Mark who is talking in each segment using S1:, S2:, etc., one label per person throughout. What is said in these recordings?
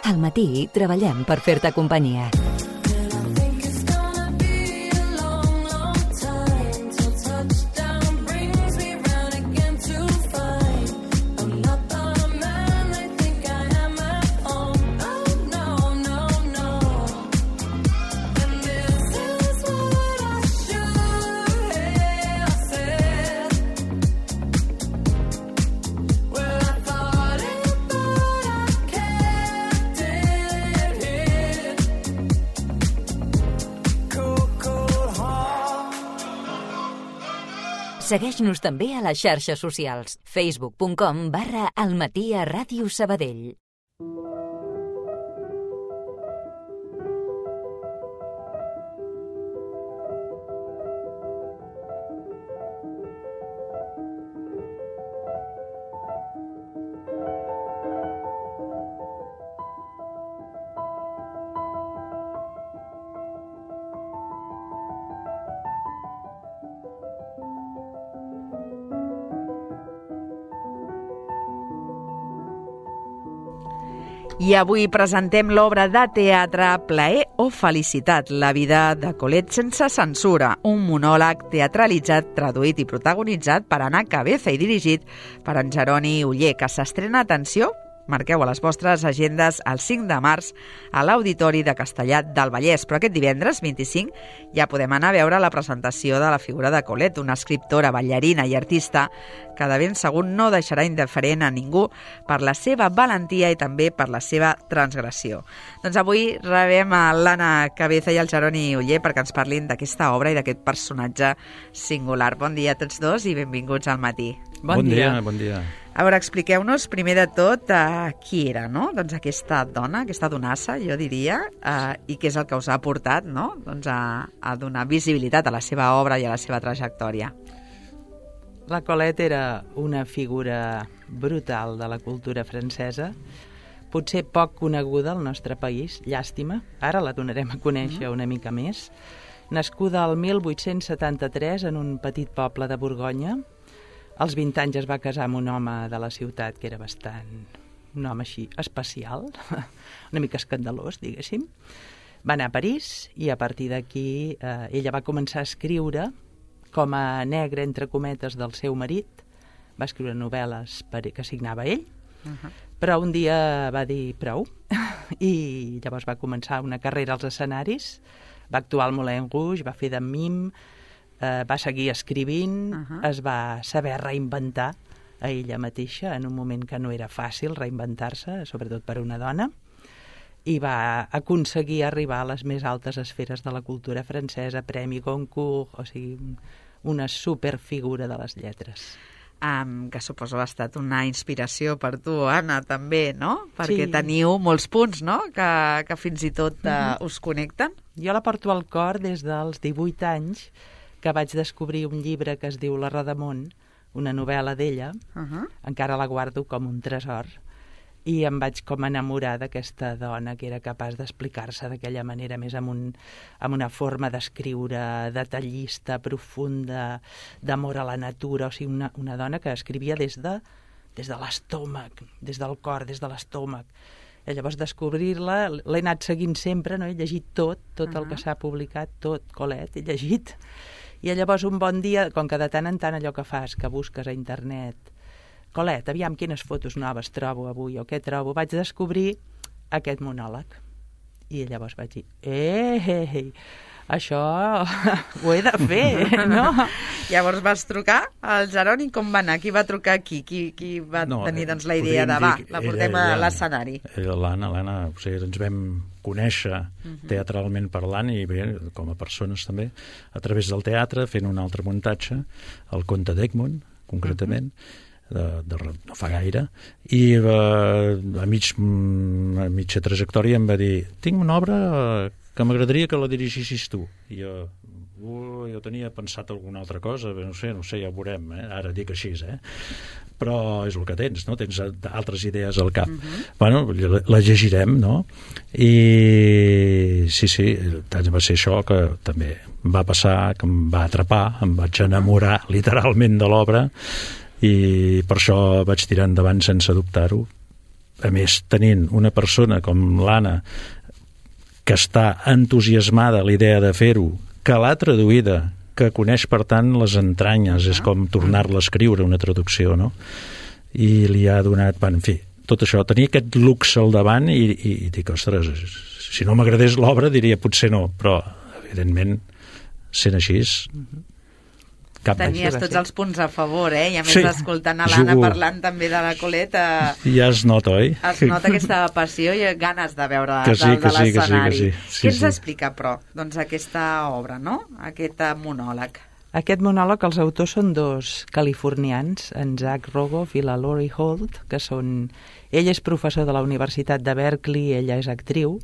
S1: Al matí treballem per fer-te companyia. Segueix-nos també a les xarxes socials. facebook.com/almatí@Ràdio Sabadell.
S2: I avui presentem l'obra de teatre Plaer o felicitat, la vida de Colette sense censura, un monòleg teatralitzat, traduït i protagonitzat per Anna Cabeza i dirigit per en Jeroni Oller, que s'estrena, atenció, marqueu a les vostres agendes el 5 de març a l'Auditori de Castellat del Vallès. Però aquest divendres, 25, ja podem anar a veure la presentació de la figura de Colette, una escriptora, ballarina i artista que de ben segur no deixarà indiferent a ningú per la seva valentia i també per la seva transgressió. Doncs avui rebem a l'Anna Cabeza i el Jeroni Oller perquè ens parlin d'aquesta obra i d'aquest personatge singular. Bon dia a tots dos i benvinguts al matí.
S3: Bon dia. Bon dia.
S2: A veure, expliqueu-nos primer de tot qui era, no? Doncs aquesta dona, aquesta donassa, jo diria, i què és el que us ha portat, no? Doncs a donar visibilitat a la seva obra i a la seva trajectòria.
S4: La Colette era una figura brutal de la cultura francesa, potser poc coneguda al nostre país, llàstima, ara la donarem a conèixer una mica més. Nascuda el 1873 en un petit poble de Borgonya, als 20 anys es va casar amb un home de la ciutat que era un home així especial, una mica escandalós, diguéssim. Va anar a París i a partir d'aquí ella va començar a escriure com a negra, entre cometes, del seu marit. Va escriure novel·les que signava ell, però un dia va dir prou i llavors va començar una carrera als escenaris, va actuar al Moulin Rouge, va fer de mim, va seguir escrivint, es va saber reinventar a ella mateixa en un moment que no era fàcil reinventar-se, sobretot per una dona, i va aconseguir arribar a les més altes esferes de la cultura francesa, Premi Goncourt, o sigui, una superfigura de les lletres.
S2: Que suposo ha estat una inspiració per tu, Anna, també, no? Perquè teniu molts punts, no?, que fins i tot us connecten.
S4: Jo la porto al cor des dels 18 anys, que vaig descobrir un llibre que es diu La Rodamont, una novel·la d'ella, encara la guardo com un tresor, i em vaig com enamorar d'aquesta dona que era capaç d'explicar-se d'aquella manera, més amb una forma d'escriure detallista, profunda, d'amor a la natura, o sigui, una dona que escrivia des de l'estómac, des del cor, des de l'estómac. I llavors descobrir-la, l'he anat seguint sempre, no? He llegit tot el que s'ha publicat, tot, Colette, he llegit. I llavors un bon dia, com que de tant en tant allò que fas, que busques a internet, Colette, aviam quines fotos noves trobo avui o què trobo, vaig descobrir aquest monòleg. I llavors vaig dir, això ho he de fer, no?
S2: Llavors vas trucar al Jeroni, com va anar? Qui va trucar aquí? Qui va tenir doncs, la idea de la portem a l'escenari?
S3: L'Anna, o sigui, ens vam conèixer teatralment parlant i bé, com a persones també, a través del teatre, fent un altre muntatge, el Conte d'Egmont, concretament, no fa gaire, i a mitja trajectòria em va dir, tinc una obra que m'agradaria que la dirigissis tu. I jo tenia pensat alguna altra cosa, no sé, ja ho veurem, ara dic així, però és el que tens, no? Tens altres idees al cap. Bueno, la llegirem, no? I sí, va ser això que també va passar, que em va atrapar, em vaig enamorar literalment de l'obra, i per això vaig tirar endavant sense dubtar-ho. a més, tenint una persona com l'Anna que està entusiasmada a la idea de fer-ho, que l'ha traduïda, que coneix, per tant, les entranyes, és com tornar-la a escriure, una traducció, no? I li ha donat, en fi, tot això, tenia aquest luxe al davant i dic, ostres, si no m'agradés l'obra diria potser no, però evidentment sent així
S2: Tenies tots els punts a favor, i a més escoltant a l'Anna parlant també de la Colette
S3: ja es nota, oi?
S2: Es nota aquesta passió i ganes de veure de l'escenari. Què ens explica, però, doncs aquesta obra, no? Aquest monòleg.
S4: Aquest monòleg, els autors són dos californians, en Zach Rogoff i la Lori Holt, que són... Ell és professor de la Universitat de Berkeley, ella és actriu,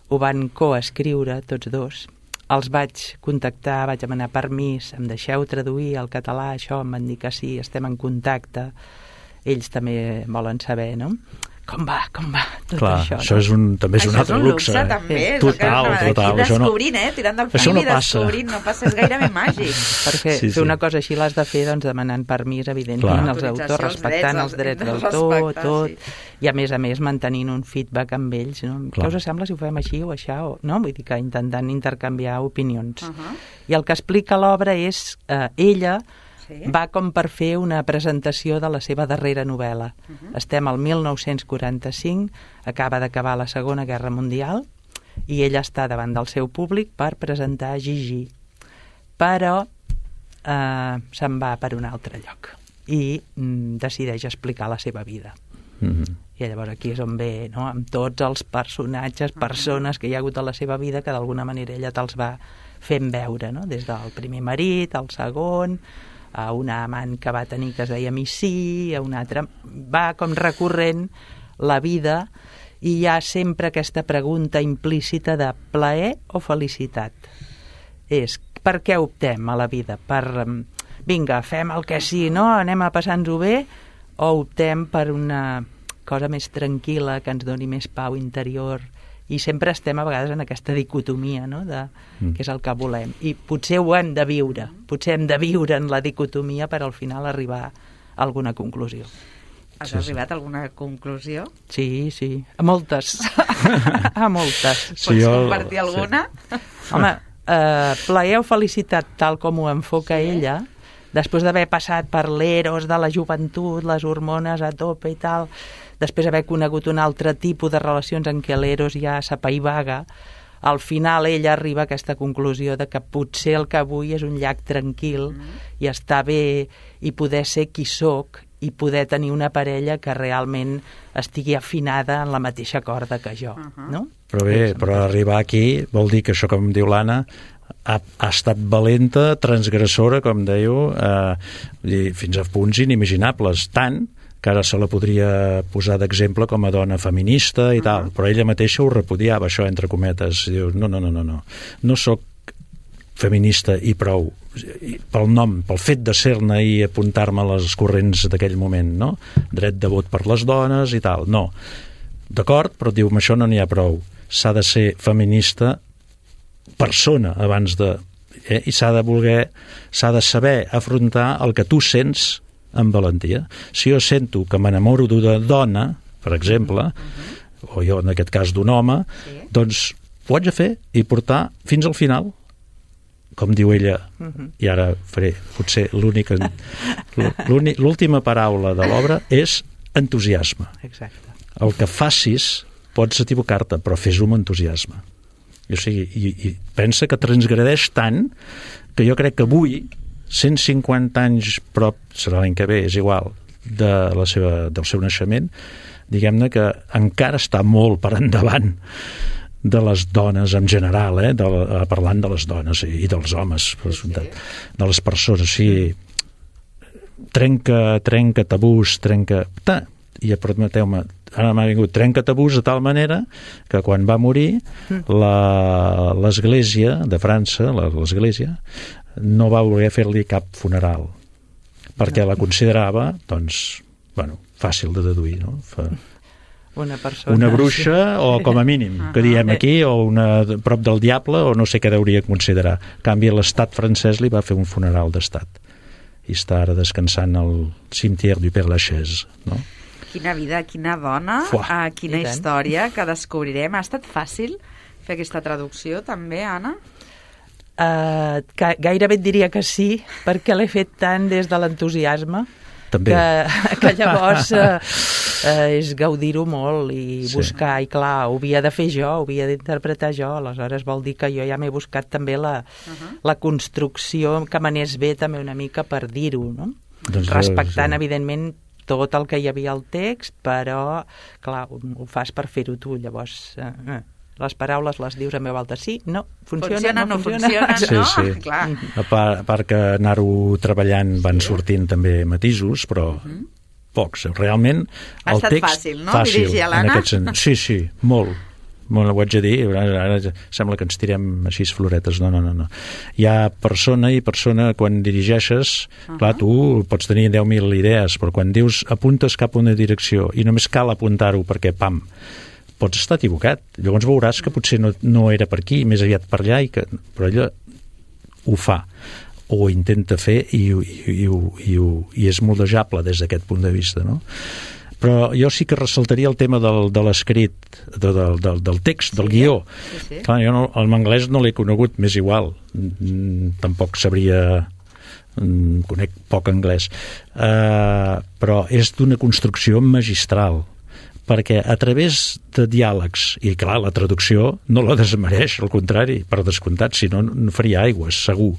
S4: ho van coescriure tots dos. Els vaig contactar, vaig demanar permís, em deixeu traduir al català això, em van dir que sí, estem en contacte. Ells també volen saber, no? Com va tot això?
S3: Això també és un altre luxe.
S2: Això és un luxe, també.
S3: Total.
S2: Aquí descobrint, tirant del fil i descobrint, no passa, és gairebé màgic.
S4: Perquè fer una cosa així l'has de fer demanant permís, evidentment, als autors, respectant els drets d'autor, tot, i a més mantenint un feedback amb ells. Què us sembla si ho fem així o això? Vull dir que intentant intercanviar opinions. I el que explica l'obra és ella va com per fer una presentació de la seva darrera novel·la. Estem al 1945, acaba d'acabar la Segona Guerra Mundial, i ella està davant del seu públic per presentar Gigi. Però se'n va per un altre lloc i decideix explicar la seva vida. I llavors aquí és on ve, amb tots els personatges, persones que hi ha hagut a la seva vida que d'alguna manera ella te'ls va fent veure, des del primer marit, al segon, a una amant que va tenir que es deia Missy, a una altra... Va com recorrent la vida i hi ha sempre aquesta pregunta implícita de plaer o felicitat. És per què optem a la vida? Per, vinga, fem el que sí, no? Anem a passar-nos-ho bé, o optem per una cosa més tranquil·la que ens doni més pau interior? I sempre estem a vegades en aquesta dicotomia, de què és el que volem. I potser ho hem de viure, potser hem de viure en la dicotomia per al final arribar a alguna conclusió.
S2: Has arribat a alguna conclusió?
S4: Sí, a moltes. A moltes.
S2: Pots compartir alguna?
S4: Home, plaer o felicitat, tal com ho enfoca ella, després d'haver passat per l'eros de la joventut, les hormones a tope i tal, després d'haver conegut un altre tipus de relacions en què l'eros ja s'apaivaga, al final ella arriba a aquesta conclusió de que potser el que vull és un llac tranquil i estar bé i poder ser qui soc i poder tenir una parella que realment estigui afinada en la mateixa corda que jo, no?
S3: Però bé, però arribar aquí vol dir que això, com diu l'Anna, ha estat valenta, transgressora, com dèieu, fins a punts inimaginables, tant que ara se la podria posar d'exemple com a dona feminista i tal, però ella mateixa ho repudiava, això entre cometes. Diu, no soc feminista i prou, pel nom, pel fet de ser-ne i apuntar-me a les corrents d'aquell moment, no? Dret de vot per les dones i tal, no. D'acord, però diu, amb això no n'hi ha prou. S'ha de ser feminista persona abans de... I s'ha de saber afrontar el que tu sents amb valentia. Si jo sento que m'enamoro d'una dona, per exemple, o jo en aquest cas d'un home, doncs ho haig de fer i portar fins al final. Com diu ella, i ara faré potser l'última paraula de l'obra és entusiasme.
S4: Exacte.
S3: El que facis pots equivocar-te, però fes-ho amb entusiasme. O sigui, i pensa que transgredeix tant que jo crec que avui 150 anys prop, serà l'any que ve, és igual, del seu naixement, diguem-ne que encara està molt per endavant de les dones en general, parlant de les dones i dels homes, de les persones. O sigui, trenca tabús, i permeteu-me, ara m'ha vingut, trenca tabús de tal manera que quan va morir l'Església de França, l'Església, no va voler fer-li cap funeral perquè la considerava, doncs, fàcil de deduir, no? Una bruixa o com a mínim, que diem aquí, o una prop del diable, o no sé què hauria de considerar. En canvi, l'estat francès li va fer un funeral d'estat i està ara descansant al cimetière du Père Lachaise, no?
S2: Quina vida, quina dona, quina història que descobrirem. Ha estat fàcil fer aquesta traducció també, Anna?
S4: Gairebé et diria que sí, perquè l'he fet tant des de l'entusiasme que llavors és gaudir-ho molt i buscar, i clar, ho havia de fer jo, ho havia d'interpretar jo, aleshores vol dir que jo ja m'he buscat també la construcció que m'anés bé també una mica per dir-ho, no? Respectant, evidentment, tot el que hi havia al text, però, clar, ho fas per fer-ho tu, llavors... les paraules les dius en veu alta, sí, no, funciona, no funciona.
S3: Sí. Clar. A part que anar-ho treballant van sortint també matisos, però pocs. Realment, el text...
S2: Ha estat fàcil, no? Dirigir a l'Anna?
S3: Sí, molt. Molt, ho haig de dir, ara sembla que ens tirem així floretes. No. Hi ha persona i persona, quan dirigeixes, clar, tu pots tenir 10.000 idees, però quan dius apuntes cap a una direcció i només cal apuntar-ho perquè, pam, pots estar equivocat. Llavors veuràs que potser no era per aquí, més aviat per allà, però ella ho fa, o ho intenta fer i és moldejable des d'aquest punt de vista, no? Però jo sí que ressaltaria el tema de l'escrit, del text, del guió. Sí. Clar, jo en anglès no l'he conegut, m'és igual. Tampoc sabria... conec poc anglès. Però és d'una construcció magistral, perquè a través de diàlegs, i clar, la traducció no la desmereix, al contrari, per descomptat, si no, no faria aigües, segur.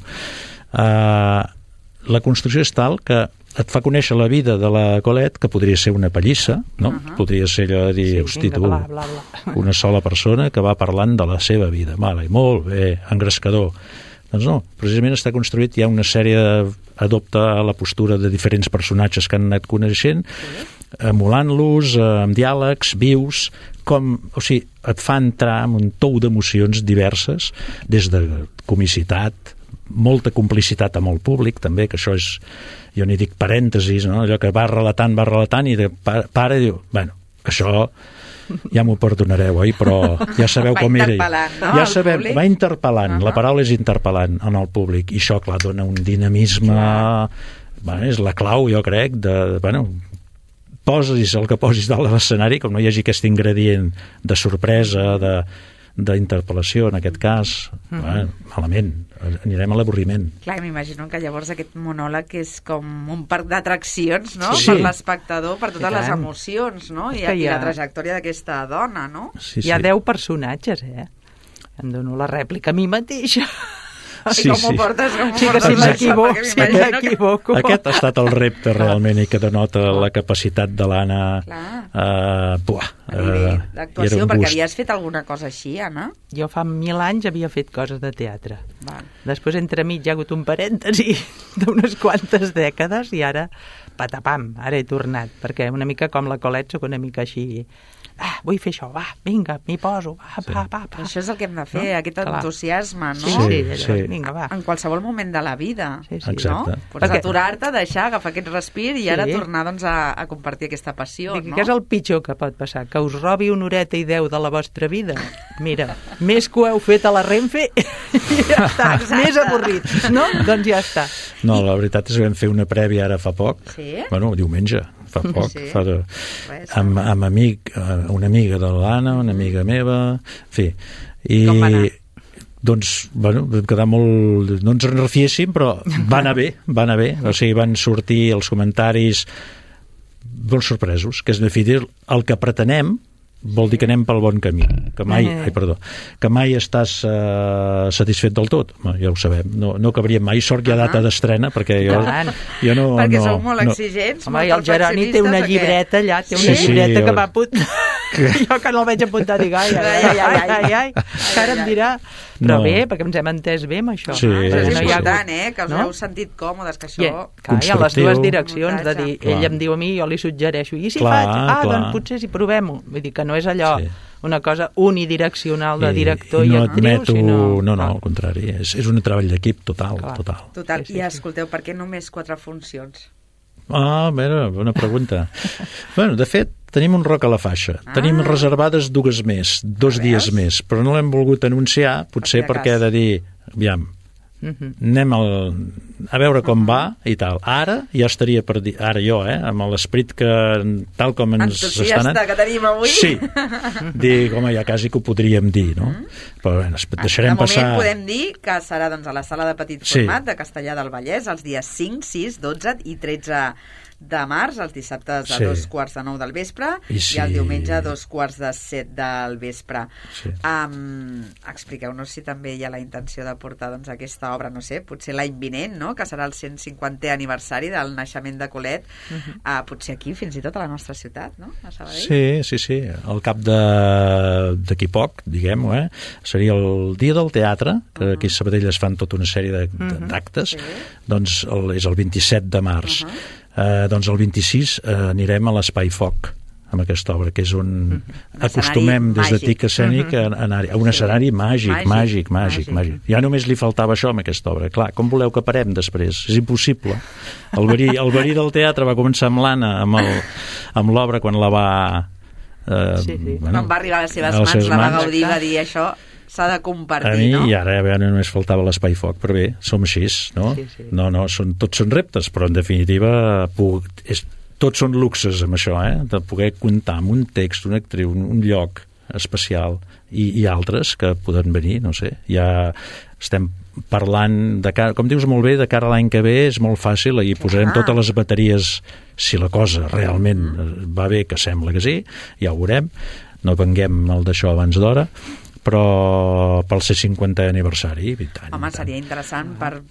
S3: La construcció és tal que et fa conèixer la vida de la Colette, que podria ser una pallissa, no? Podria ser allò de dir, hosti, tu, una sola persona que va parlant de la seva vida. Vale, molt bé, engrescador. Doncs no, precisament està construït, hi ha una sèrie, adopta la postura de diferents personatges que han anat coneixent, emulant-los, amb diàlegs vius, o sigui, et fa entrar en un tou d'emocions diverses, des de comicitat, molta complicitat amb el públic, també, que això és, jo n'hi dic parèntesis, no? Allò que va relatant i para i diu, bueno, això ja m'ho perdonareu, oi? Però ja sabeu com era.
S2: No?
S3: Ja sabem, va interpel·lant, la paraula és interpel·lant en el públic, i això, clar, dona un dinamisme, és la clau, jo crec, posis el que posis dalt de l'escenari, com no hi hagi aquest ingredient de sorpresa, d'interpel·lació, en aquest cas, malament, anirem a l'avorriment.
S2: Clar, m'imagino que llavors aquest monòleg és com un parc d'atraccions, no? Per l'espectador, per totes les emocions, no? I la trajectòria d'aquesta dona, no?
S4: Hi ha 10 personatges, Em dono la rèplica a mi mateixa.
S2: Com ho portes?
S4: Sí, que si m'equivoco.
S3: Aquest ha estat el repte realment, i que denota la capacitat de l'Anna
S2: d'actuació, perquè havies fet alguna cosa així, Anna?
S4: Jo fa 1000 anys havia fet coses de teatre. Després, entremig, hi ha hagut un parèntesi d'unes quantes dècades i ara, patapam, ara he tornat, perquè una mica com la Colette soc una mica així... vull fer això, va, vinga, m'hi poso, va.
S2: Això és el que hem de fer, aquest entusiasme, no?
S3: Sí.
S2: Vinga, va. En qualsevol moment de la vida,
S3: no?
S2: Pots aturar-te, deixar, agafar aquest respir i ara tornar a compartir aquesta passió, no?
S4: Què és el pitjor que pot passar? Que us robi una horeta i 10 de la vostra vida? Mira, més que ho heu fet a la Renfe, ja està, més avorrit, no? doncs ja està.
S3: No, la veritat és que vam fer una prèvia ara fa poc, diumenge, fa poc, amb una amiga de l'Anna, una amiga meva, en fi, i doncs, vam quedar molt... no ens en refiéssim, però va anar bé, o sigui, van sortir els comentaris molt sorpresos, que és, en fi, el que pretenem vol dir que anem pel bon camí, que mai estàs satisfet del tot. Ja ho sabem, no cabríem mai. Sort que hi ha data d'estrena, perquè jo no...
S2: Perquè sou molt exigents,
S4: molt perfeccionistes. El Jeroni té una llibreta allà, llibreta que va apuntar. Jo que no el veig apuntar, dic, ai, que ara em dirà... Però bé, perquè ens hem entès bé amb això.
S2: Però és important, que els heu sentit còmodes, que això...
S4: Hi ha les dues direccions, de dir, ell em diu a mi, jo li suggereixo, i si faig? Doncs potser si provem-ho. Vull dir que no és allò una cosa unidireccional de director i actriu, sinó...
S3: No, al contrari, és un treball d'equip total.
S2: I escolteu, per què només 4 funcions?
S3: A veure, bona pregunta. Bueno, de fet, tenim un roc a la faixa. Tenim reservades 2 dies més, però no l'hem volgut anunciar, potser perquè he de dir, aviam, anem a veure com va i tal. Ara ja estaria per dir, ara jo, amb l'esperit que tal com ens està anant...
S2: que tenim avui.
S3: Sí, dic, home, ja quasi que ho podríem dir, no? Però bé, deixarem passar...
S2: De moment podem dir que serà doncs, a la sala de petit format de Castellar del Vallès els dies 5, 6, 12 i 13 de març, els dissabtes a 2:45 del vespre i el diumenge a 2:45 del vespre. Expliqueu-nos si també hi ha la intenció de portar doncs, aquesta obra, no sé, potser l'any vinent, no? Que serà el 150è aniversari del naixement de Colette, potser aquí, fins i tot a la nostra ciutat, no? A Sabadell.
S3: Sí. Al cap d'aquí poc, diguem-ho, seria el dia del teatre, que aquí a Sabadell es fan tota una sèrie d'actes, doncs és el 27 de març. Doncs el 26 anirem a l'Espai Foc amb aquesta obra, que és on acostumem des de TIC Escènic a anar a un escenari màgic. Ja només li faltava això amb aquesta obra. Clar, com voleu que parem després? És impossible. El verí del teatre va començar amb l'Anna, amb l'obra, quan la va...
S2: Quan va arribar a les seves mans, la va gaudir, va dir això... s'ha de compartir,
S3: a mi,
S2: no?
S3: I ara només faltava l'Espai Foc, però bé, som així, no?
S4: Sí.
S3: No, tots són reptes, però en definitiva tots són luxes amb això, de poder comptar amb un text, una actriu, un lloc especial i altres que poden venir, no sé, ja estem parlant, com dius molt bé, de cara a l'any que ve és molt fàcil, i posarem totes les bateries, si la cosa realment va bé, que sembla que sí, ja ho veurem, no venguem el d'això abans d'hora, però pel 150è aniversari, i tant.
S2: Home, seria interessant per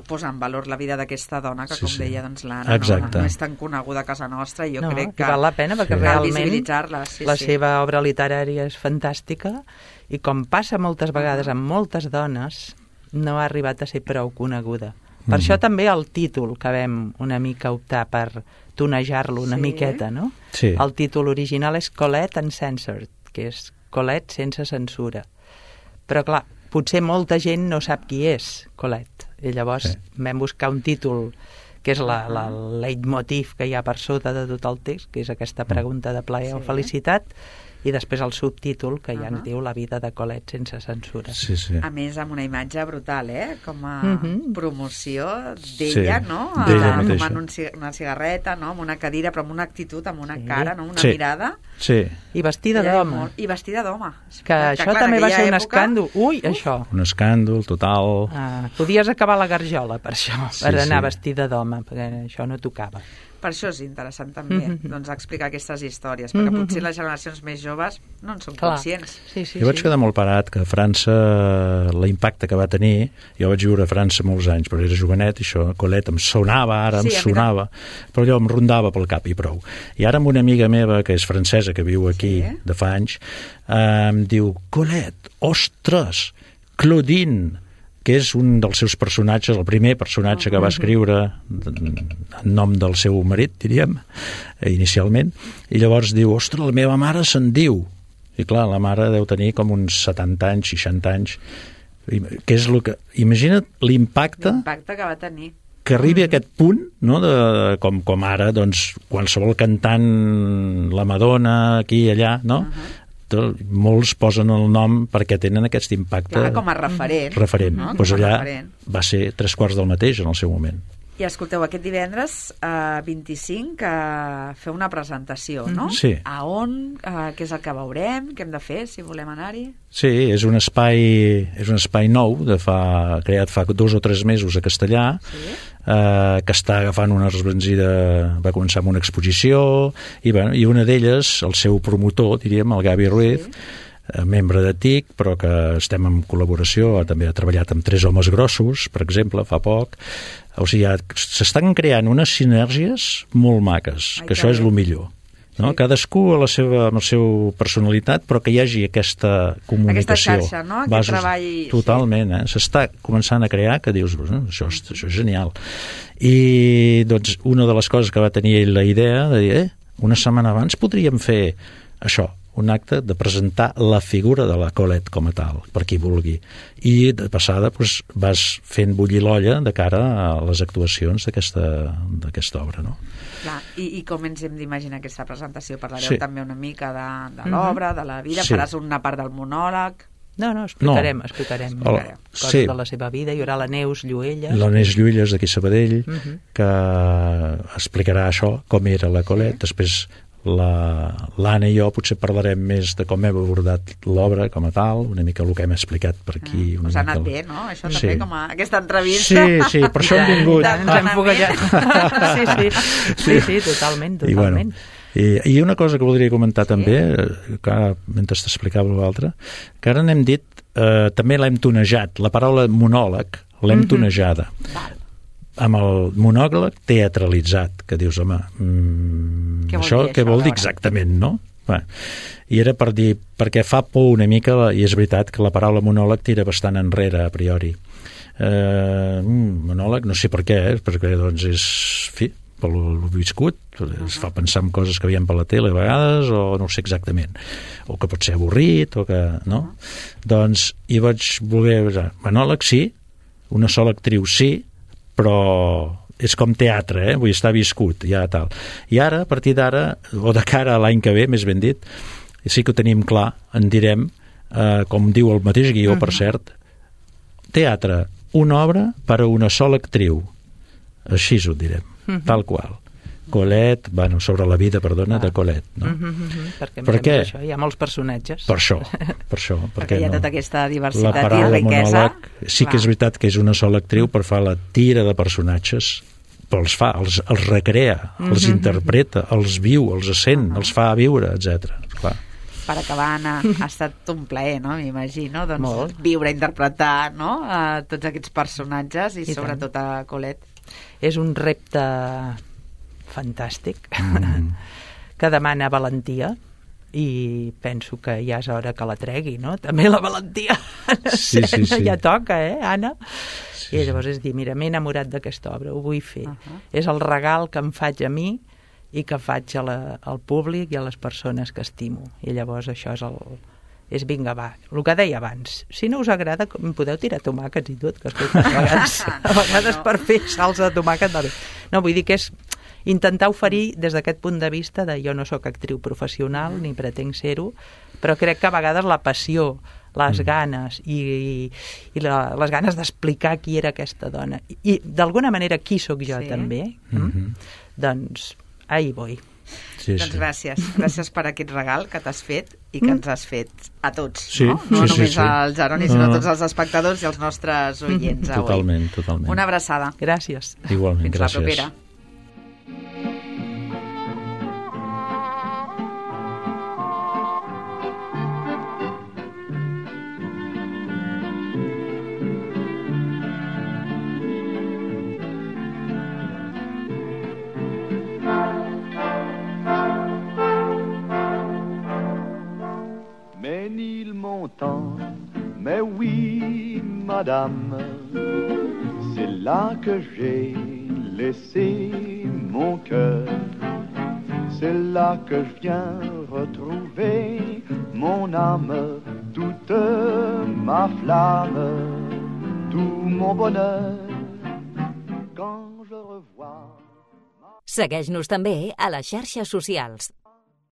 S2: posar en valor la vida d'aquesta dona que, com deia, l'Anna no és tan coneguda a casa nostra, i jo crec que
S4: val la pena, perquè
S2: cal
S4: realment
S2: visibilitzar-la.
S4: La seva obra literària és fantàstica, i com passa moltes vegades amb moltes dones, no ha arribat a ser prou coneguda. Per això també el títol, que vam una mica optar per tonejar-lo una miqueta, no?
S3: Sí.
S4: El títol original és Colette Uncensored, que és Colette sense censura. Però, clar, potser molta gent no sap qui és Colette. I llavors vam buscar un títol que és el leitmotiv que hi ha per sota de tot el text, que és aquesta pregunta de plaer o felicitat, i després el subtítol, que ja ens diu La vida de Colette sense censura.
S3: Sí.
S2: A més, amb una imatge brutal, com a promoció d'ella, no? Fumant una cigarreta, no? Amb una cadira, però amb una actitud, amb una cara, no? Una mirada.
S3: Sí.
S4: I vestida d'home.
S2: I vestida d'home.
S4: Que això també va ser un escàndol. Ui, això.
S3: Un escàndol total.
S4: Podies acabar la garjola per això, per anar vestida d'home, perquè això no tocava.
S2: Per això és interessant també doncs, explicar aquestes històries, perquè potser les generacions més joves no en són conscients.
S3: Jo vaig quedar molt parat que a França l'impacte que va tenir, jo vaig viure a França molts anys, però era jovenet, i això, Colette, em sonava, però allò em rondava pel cap i prou. I ara amb una amiga meva, que és francesa, que viu aquí de fa anys, em diu, Colette, ostres, Claudine, que és un dels seus personatges, el primer personatge que va escriure en nom del seu marit, diríem, inicialment, i llavors diu, ostres, la meva mare se'n diu. I clar, la mare deu tenir com uns 70 anys, 60 anys, que és el que... Imagina't l'impacte
S2: que va tenir.
S3: Que arribi a aquest punt, no, com ara, doncs, qualsevol cantant, la Madonna, aquí i allà, no?, molts posen el nom perquè tenen aquest impacte.
S2: Clar, com a referent.
S3: No? Doncs allà va ser 3/4 del mateix en el seu moment.
S2: I escolteu, aquest divendres 25 feu una presentació, no?
S3: Sí.
S2: A on? Què és el que veurem? Què hem de fer si volem anar-hi?
S3: Sí, és un espai nou, creat fa 2 o 3 mesos a Castellar, que està agafant una rebranzida, va començar amb una exposició, i una d'elles, el seu promotor, diríem, el Gavi Ruiz, membre de TIC, però que estem en col·laboració, també ha treballat amb 3 homes grossos, per exemple, fa poc. O sigui, s'estan creant unes sinergies molt maques, que això és el millor. No? Cadascú amb la seva personalitat, però que hi hagi aquesta comunicació.
S2: Aquesta xarxa, no? Aquest treball...
S3: Totalment, s'està començant a crear, que dius, això és genial. I doncs una de les coses que va tenir ell la idea de dir, una setmana abans podríem fer això, un acte de presentar la figura de la Colette com a tal, per qui vulgui. I de passada vas fent bullir l'olla de cara a les actuacions d'aquesta obra, no?
S2: Clar, i com ens hem d'imaginar aquesta presentació? Parlareu també una mica de l'obra, de la vida, faràs una part del monòleg...
S4: No, explicarem coses
S3: sí.
S4: de la seva vida. Hi haurà la Neus Lluelles.
S3: La Neus Lluelles, d'aquí Sabadell, que explicarà això, com era la Colette. Després l'Anna i jo potser parlarem més de com hem abordat l'obra com a tal, una mica el que hem explicat per aquí.
S2: Us ha anat bé, no? Això també, com aquesta entrevista.
S3: Sí, per això hem vingut.
S4: Ens hem foguejat. Sí, totalment.
S3: I una cosa que voldria comentar també, que ara, mentre t'explicava l'altre, que ara n'hem dit, també l'hem tonejat, la paraula monòleg l'hem tonejada. Amb el monòleg teatralitzat, que dius, home, això què vol dir exactament, no? I era per dir, perquè fa por una mica, i és veritat que la paraula monòleg tira bastant enrere a priori. Monòleg, no sé per què, perquè doncs és, fi, pel viscut, es fa pensar en coses que veiem per la tele a vegades, o no sé exactament, o que pot ser avorrit, o que, no? Doncs, i vaig voler, monòleg sí, una sola actriu sí, però és com teatre, vull estar viscut, ja tal. I ara, a partir d'ara, o de cara a l'any que ve, més ben dit, sí que ho tenim clar, en direm, com diu el mateix guió, per cert, teatre, una obra per a una sola actriu. Així ho direm, tal qual. Colette, sobre la vida, de Colette, no?
S4: Per què? Això, hi ha molts personatges.
S3: Per això.
S2: Perquè hi ha tota aquesta diversitat i riquesa.
S3: La paraula monòleg, sí que és veritat que és una sola actriu per fer la tira de personatges, però els fa, els recrea, els interpreta, els viu, els sent, els fa viure, etc. Clar.
S2: Per acabar, Anna, ha estat un plaer, no? M'imagino, doncs, viure, interpretar, no? Tots aquests personatges i sobretot a Colette.
S4: És un repte fantàstic que demana valentia i penso que ja és hora que la tregui, no? També la valentia sí. Ja toca, Anna? Sí. I llavors és dir, mira, m'he enamorat d'aquesta obra, ho vull fer. És el regal que em faig a mi i que faig al públic i a les persones que estimo. I llavors això és vinga, va, el que deia abans, si no us agrada em podeu tirar tomàquets i tot, que escolta, a vegades per fer salsa de tomàquet no, vull dir que és intentar oferir des d'aquest punt de vista de jo no sóc actriu professional ni pretenc ser-ho, però crec que a vegades la passió, les ganes i les ganes d'explicar qui era aquesta dona i d'alguna manera qui sóc jo també, doncs ahí voy.
S2: Doncs gràcies per aquest regal que t'has fet i que ens has fet a tots, no només al Jeroni, sinó a tots els espectadors i els nostres oients avui.
S3: Totalment.
S2: Una abraçada.
S4: Gràcies.
S3: Igualment,
S2: Fins la propera.
S5: Mais oui, madame, c'est là que j'ai laissé mon cœur. C'est là que je viens retrouver mon âme, toute ma flamme, tout mon bonheur. Quand je revois...
S1: Segueix-nos també a les xarxes socials.